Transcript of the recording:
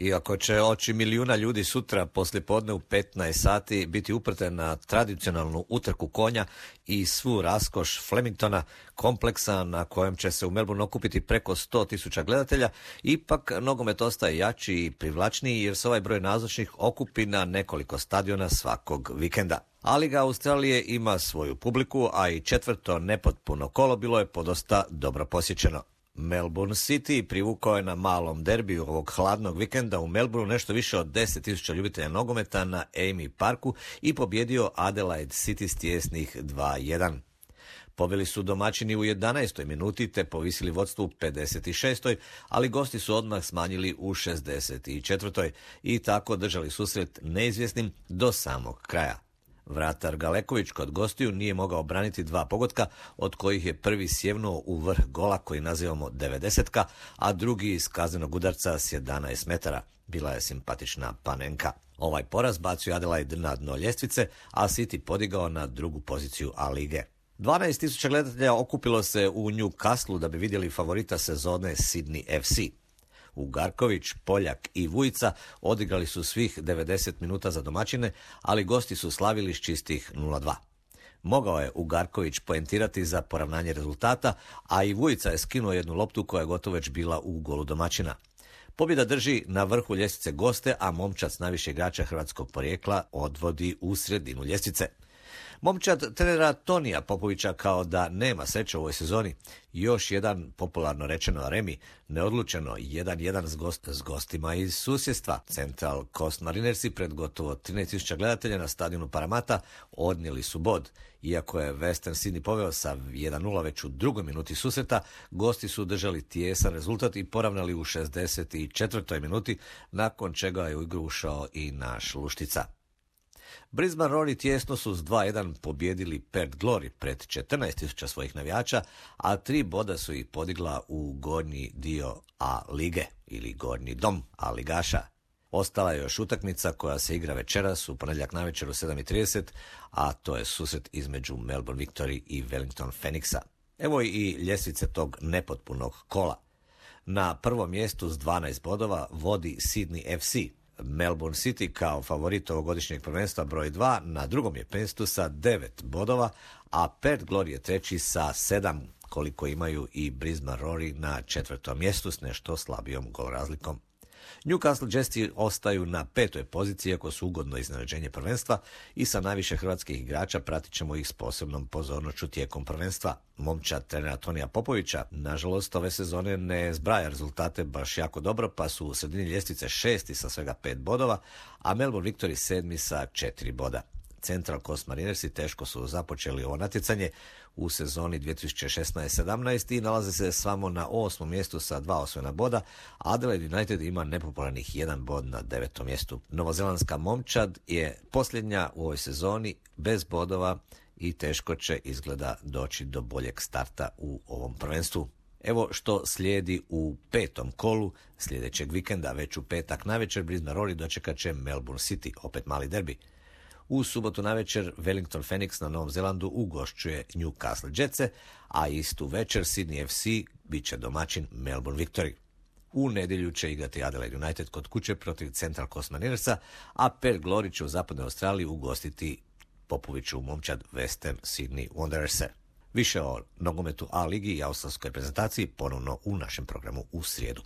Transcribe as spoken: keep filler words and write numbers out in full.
Iako će oči milijuna ljudi sutra poslijepodne u petnaest sati biti uprte na tradicionalnu utrku konja i svu raskoš Flemingtona, kompleksa na kojem će se u Melbourne okupiti preko sto tisuća gledatelja, ipak nogomet ostaje jači i privlačniji jer se ovaj broj nazočnih okupi na nekoliko stadiona svakog vikenda. A Liga Australije ima svoju publiku, a i četvrto nepotpuno kolo bilo je podosta dobro posjećeno. Melbourne City privukao je na malom derbiju ovog hladnog vikenda u Melbourneu nešto više od deset tisuća ljubitelja nogometa na Amy Parku i pobjedio Adelaide City s tijesnih dva jedan. Pobjeli su domaćini u jedanaestoj minuti te povisili vodstvo u pedeset šestoj, ali gosti su odmah smanjili u šezdeset četvrtoj i tako držali susret neizvjesnim do samog kraja. Vratar Galeković kod gostiju nije mogao obraniti dva pogotka, od kojih je prvi sjevnuo u vrh gola koji nazivamo devedesetka, a drugi iz kaznenog udarca s jedanaest metara. Bila je simpatična panenka. Ovaj poraz bacio Adelaide na dno ljestvice, a City podigao na drugu poziciju A lige. dvanaest tisuća gledatelja okupilo se u Newcastleu da bi vidjeli favorita sezone Sydney F C. Ugarković, Poljak i Vujica odigrali su svih devedeset minuta za domaćine, ali gosti su slavili s čistih nula dva. Mogao je Ugarković poentirati za poravnanje rezultata, a i Vujica je skinuo jednu loptu koja je gotovo već bila u golu domaćina. Pobjeda drži na vrhu ljestvice goste, a momčad s najviše igrača hrvatskog porijekla odvodi u sredinu ljestvice. Momčad trenera Tonija Popovića kao da nema sreće u ovoj sezoni. Još jedan, popularno rečeno remi, neodlučeno jedan jedan s, gost, s gostima iz susjedstva. Central Coast Marinersi pred gotovo trinaest tisuća gledatelja na stadionu Paramata odnijeli su bod. Iako je Western Sydney poveo sa jedan nula već u drugoj minuti susreta, gosti su držali tijesan rezultat i poravnali u šezdeset četvrtoj minuti, nakon čega je u igru ušao i naš Luštica. Brisbane Roar tjesno su s dva jedan pobjedili Perth Glory pred četrnaest tisuća svojih navijača, a tri boda su ih podigla u gornji dio A lige ili gornji dom A ligaša. Ostala je još utakmica koja se igra večeras u ponedjeljak navečer u sedam i trideset, a to je susret između Melbourne Victory i Wellington Phoenixa. Evo i ljestvice tog nepotpunog kola. Na prvom mjestu s dvanaest bodova vodi Sydney F C. Melbourne City kao favorit ovogodišnjeg prvenstva broj dva na drugom je mjestu sa devet bodova, a Perth Glory je treći sa sedam, koliko imaju i Brisbane Roar na četvrtom mjestu s nešto slabijom gol razlikom. Newcastle Jetsi ostaju na petoj poziciji, iako su ugodno iznenađenje prvenstva i sa najviše hrvatskih igrača pratit ćemo ih s posebnom pozornošću tijekom prvenstva. Momčad trenera Tonija Popovića, nažalost, ove sezone ne zbraja rezultate baš jako dobro, pa su u sredini ljestvice šesti sa svega pet bodova, a Melbourne Victory sedmi sa četiri boda. Central Coast Marinersi teško su započeli ovo natjecanje u sezoni dvije tisuće šesnaest sedamnaest i nalaze se samo na osmom mjestu sa dva osvojena boda. Adelaide United ima nepopularnih jedan bod na devetom mjestu. Novozelandska momčad je posljednja u ovoj sezoni bez bodova i teško će izgleda doći do boljeg starta u ovom prvenstvu. Evo što slijedi u petom kolu sljedećeg vikenda, već u petak navečer Brisbane Roar dočekat će Melbourne City, opet mali derbi. U subotu navečer Wellington Phoenix na Novom Zelandu ugošćuje Newcastle Jetse, a istu večer Sydney F C bit će domaćin Melbourne Victory. U nedjelju će igrati Adelaide United kod kuće protiv Central Coast Marinersa, a Perth Glory će u zapadnoj Australiji ugostiti Popoviću momčad Western Sydney Wanderers. Više o nogometu A ligi i australskoj reprezentaciji ponovno u našem programu u srijedu.